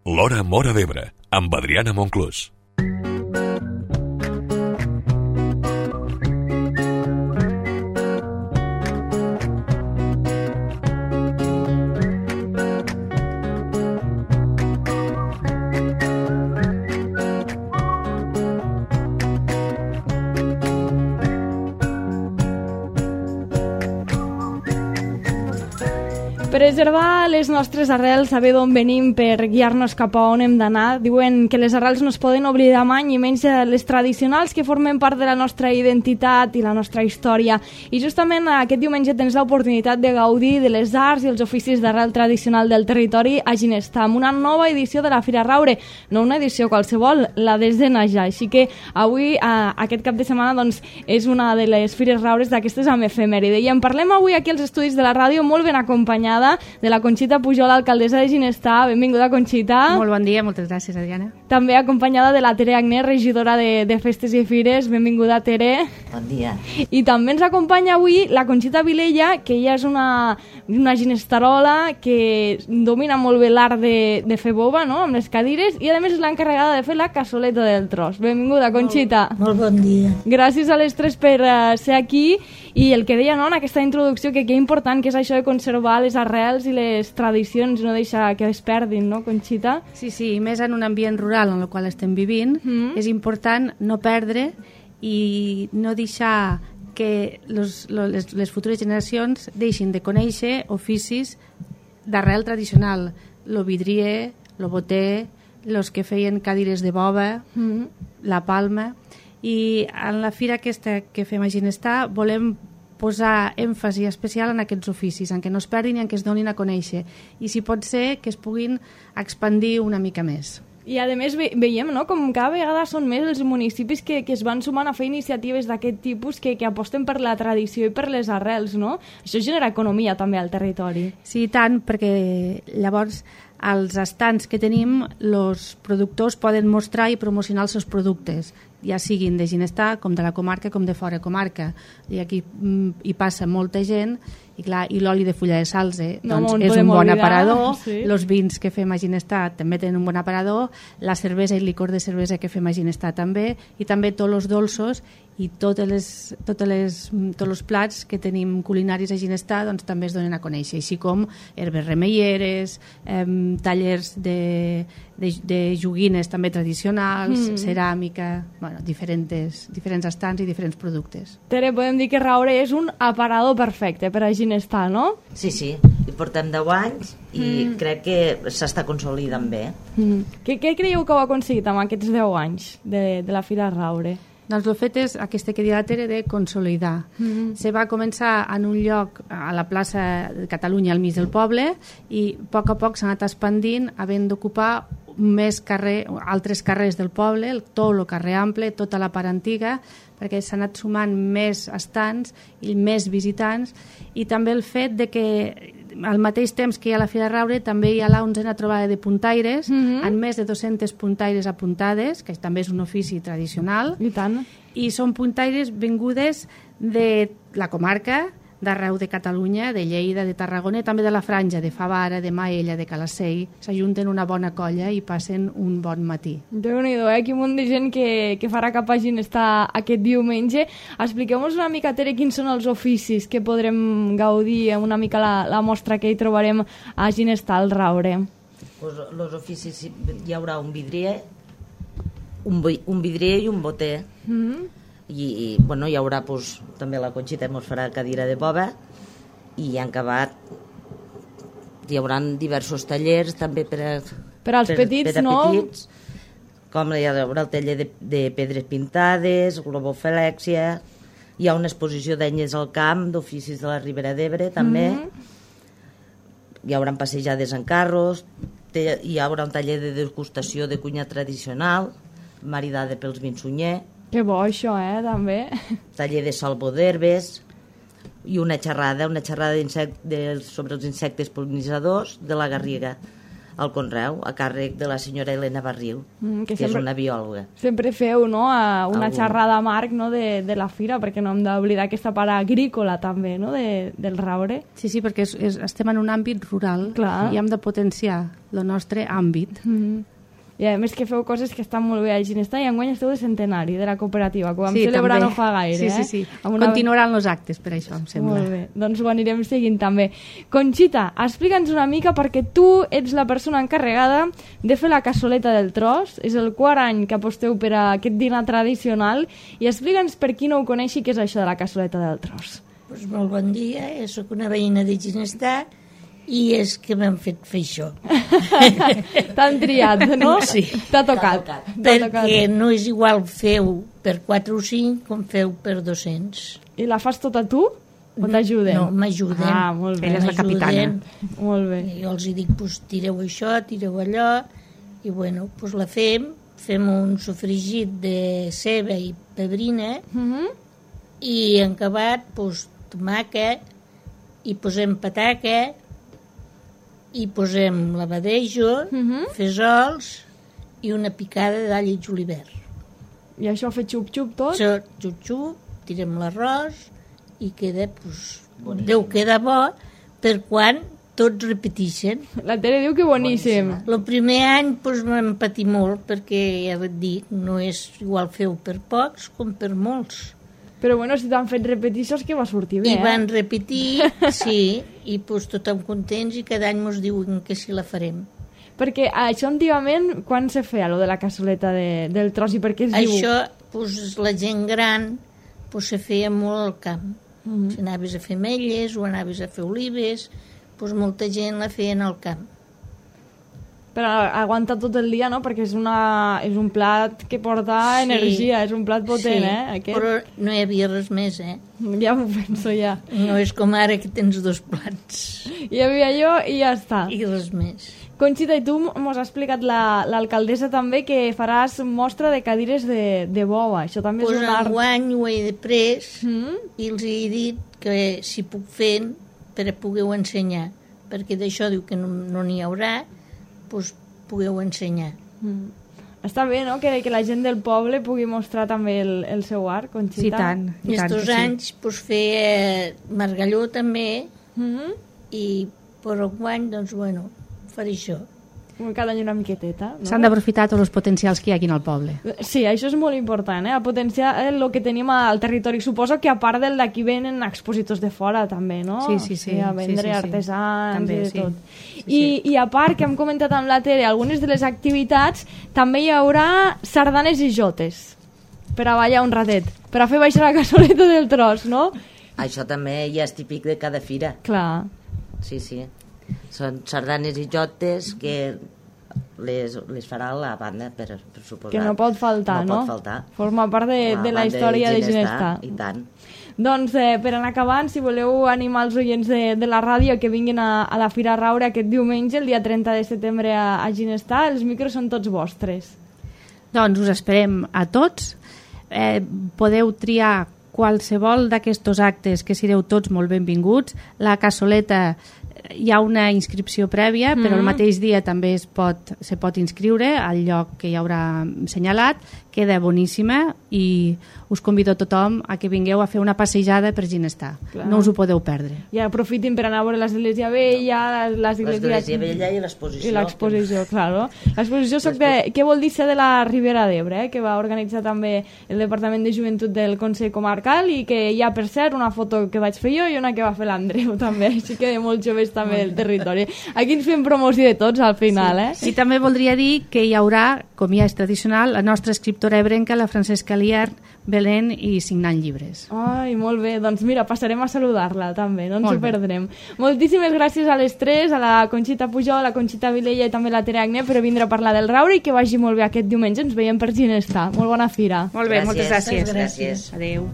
L'Hora Móra d'Ebre, amb Adriana Monclús. Preservar les nostres arrels, saber d'on venim per guiar-nos cap a on hem d'anar. Diuen que les arrels no es poden oblidar mai, i menys les tradicionals que formen part de la nostra identitat i la nostra història. I justament aquest diumenge tens l'oportunitat de gaudir de les arts i els oficis d'arrel tradicional del territori a Ginestar, amb una nova edició de la Fira Raure. No una edició qualsevol, la desena ja. Així que avui, aquest cap de setmana, doncs, és una de les Fires Raures d'aquestes amb efemèride. I en parlem avui aquí als estudis de la ràdio, molt ben acompanyada de la Conxita Pujol, alcaldessa de Ginestar. Benvinguda, Conxita. Molt bon dia, moltes gràcies, Adriana. També acompanyada de la Tere Agnès, regidora de Festes i Fires. Benvinguda, Tere. Bon dia. I també ens acompanya avui la Conxita Vilella, que ella és una ginestarola que domina molt bé l'art de fer boba, no?, amb les cadires, i a més és l'encarregada de fer la cassoleta del tros. Benvinguda, Conxita. Molt bon dia. Gràcies a les tres per ser aquí. I el que deia, no?, en aquesta introducció, que important que és això de conservar les arrels i les tradicions, no deixar que es perdin, no, Conxita? Sí, i més en un ambient rural en el qual estem vivint, és important no perdre i no deixar que les futures generacions deixin de conèixer oficis d'arrel tradicional. Lo vidrier, lo boter, los que feien cadires de boba, la palma. I en la fira aquesta que fem a Ginestar volem posar èmfasi especial en aquests oficis, en què no es perdin i en què es donin a conèixer. I si pot ser, que es puguin expandir una mica més. I a més veiem, no?, com cada vegada són més els municipis que es van sumant a fer iniciatives d'aquest tipus que aposten per la tradició i per les arrels, no? Això genera economia també al territori. Sí, tant, perquè llavors als estants que tenim els productors poden mostrar i promocionar els seus productes, ja siguin de Ginestar, com de la comarca, com de fora comarca. I aquí hi passa molta gent, i clar, i l'oli de fulla de salze doncs és un bon aparador, els vins que fem a Ginestar també tenen un bon aparador, la cervesa i el licor de cervesa que fem a Ginestar també, i també tots els dolços i tots els plats que tenim culinaris a Ginestar doncs també es donen a conèixer, així com herbes remeieres, tallers de joguines també tradicionals, ceràmica, bueno, diferents estants i diferents productes. Tere, podem dir que Raure és un aparador perfecte per a Ginestar, no? Sí, hi portem 10 anys i crec que s'està consolidant bé. Què creieu que heu aconseguit amb aquests 10 anys de la Fira Raure? Doncs el fet és aquesta que deia la Tere de consolidar. Se va començar en un lloc a la plaça de Catalunya al mig del poble i a poc s'ha anat expandint, havent d'ocupar més altres carrers del poble, tot el carrer ample, tota la part antiga, perquè s'han anat sumant més estants i més visitants, i també el fet de que al mateix temps que hi ha la Fira Raure també hi ha la 11a trobada de puntaires, amb més de 200 puntaires apuntades, que també és un ofici tradicional. I tant. I són puntaires vingudes de la comarca, d'arreu de Catalunya, de Lleida, de Tarragona, també de la Franja, de Favara, de Maella, de Calacell. S'ajunten una bona colla i passen un bon matí. Déu-n'hi-do, quin munt de gent que farà cap a Ginestar aquest diumenge. Expliqueu-nos una mica, Tere, quins són els oficis que podrem gaudir, una mica la mostra que hi trobarem a Ginestar al Raure. Pues els oficis hi haurà un vidrier, un vidrier i un boter. I bueno, hi haurà també la Conxita mos farà cadira de boba, i en acabat hi haurà diversos tallers també per als petits, no? Petits, com hi haurà el taller de pedres pintades, globofilèxia, hi ha una exposició d'enyes al camp, d'oficis de la Ribera d'Ebre també, hi haurà passejades en carros, hi haurà un taller de degustació de cuina tradicional maridada pels vins Sunyer. Que bo això, també. Taller de salvo d'herbes i una xerrada sobre els insectes pol·linitzadors de la Garriga. al Conreu, a càrrec de la senyora Helena Barriu, que és una biòloga. Sempre feu, no?, una xerrada, Marc, no?, de la fira, perquè no hem d'oblidar aquesta part agrícola també, no?, del Raure. Sí, perquè estem en un àmbit rural. Clar. I hem de potenciar el nostre àmbit. I a més que feu coses que estan molt bé a Ginestar, i enguany esteu de centenari de la cooperativa, que ho vam Sí, celebrar també. no fa gaire. Sí. Continuaran els actes, per això, em sembla. Molt bé, doncs ho anirem seguint també. Conxita, explica'ns una mica, perquè tu ets la persona encarregada de fer la cassoleta del tros, és el quart any que aposteu per a aquest dinar tradicional, i explica'ns per qui no ho coneixi què és això de la cassoleta del tros. Pues molt bon dia, soc una veïna de Ginestar i és que m'han fet fer això. T'han triat, no? Sí. T'ha tocat. Perquè no és igual feu per 4 o 5 com feu per 200. I la fas tota tu? O t'ajuden? No, m'ajuden. Ah, molt bé. Ella és la capitana. Molt bé. Jo els dic, pues, tireu això, tireu allò, i bueno, pues la fem un sofregit de ceba i pebrina, i en acabat, pues, tomàquet, i posem pataca, i posem lavadejo, fesols i una picada d'all i julivert. I això fet xup-xup tot? Això, xup-xup, tirem l'arròs i queda, pues, deu quedar bo per quan tots repeteixen. La Tere diu que boníssim. El primer any pues, m'hem patit molt perquè, ja et dic, no és igual feu per pocs com per molts. Però bueno, si t'han fet repeticions que va sortir bé, I van repetir, sí, i pues, tothom contents i cada any ens diuen que sí la farem. Perquè això antigament, quan se feia, lo de la cassoleta del tros, i per què es diu? Això, pues, la gent gran, pues, se feia molt al camp. Si anaves a fer ametlles o anaves a fer olives, pues, molta gent la feien al camp. Però aguanta tot el dia, no? Perquè és un plat que porta energia, és un plat potent, sí, però no hi havia res més, Ja m'ho penso, ja. No és com ara que tens 2 plats. Hi havia allò i ja està. I res més. Conxita, i tu mos ha explicat l'alcaldessa també que faràs mostra de cadires de bova. Això també és un art. Enguany ho he de pres i els he dit que si puc fer per a poder ensenyar, perquè d'això diu que no n'hi haurà, doncs pugueu ensenyar. Està bé, no?, que la gent del poble pugui mostrar també el seu art, Conxita. Sí, tant. Estos anys doncs, feia margalló també i per enguany, doncs, bueno, faré això. Cada any una miqueteta, no? S'han d'aprofitar tots els potencials que hi ha aquí en el poble. Sí, això és molt important, a potenciar el que tenim al territori. Suposo que a part del d'aquí venen expositors de fora també, no? Sí. A vendre artesans també, i de tot. Sí. I a part, que hem comentat amb la Tere, algunes de les activitats, també hi haurà sardanes i jotes per a ballar un ratet, per a fer baixar la cassoleta del tros, no? Això també ja és típic de cada fira. Clar. Sí. Són sardanes i jotes que les farà la banda, per suposar. Que no pot faltar, no? No pot faltar. Forma part de la història de Ginestar. I tant. Doncs per anar acabant, si voleu animar els oients de la ràdio que vinguin a la Fira Raure aquest diumenge, el dia 30 de setembre a Ginestar, els micros són tots vostres. Doncs us esperem a tots. Podeu triar qualsevol d'aquests actes, que sereu tots molt benvinguts. La cassoleta, hi ha una inscripció prèvia, però el mateix dia també se pot inscriure al lloc que hi haurà assenyalat. Queda boníssima i us convido a tothom a que vingueu a fer una passejada per Ginestar. Clar. No us ho podeu perdre. I aprofitin per anar a veure l'Església Vella, l'Església Vella i l'exposició. I l'exposició, clar. L'exposició què vol dir ser de la Ribera d'Ebre, que va organitzar també el Departament de Joventut del Consell Comarcal i que hi ha, per cert, una foto que vaig fer jo i una que va fer l'Andreu també, així que de molts joves també del territori. Aquí ens fem promoció de tots al final, Sí, també voldria dir que hi haurà, com ja és tradicional, la nostra escriptora ebrenca, la Francesca Liar, Belén, i signant llibres. Ai, molt bé, doncs mira, passarem a saludar-la també, no ens ho perdrem. Moltíssimes gràcies a les tres, a la Conxita Pujol, a la Conxita Vilella i també a la Tere Agné per vindre a parlar del Raure i que vagi molt bé aquest diumenge, ens veiem per Ginestar. Molt bona fira. Molt bé, moltes gràcies. Gràcies. Adéu.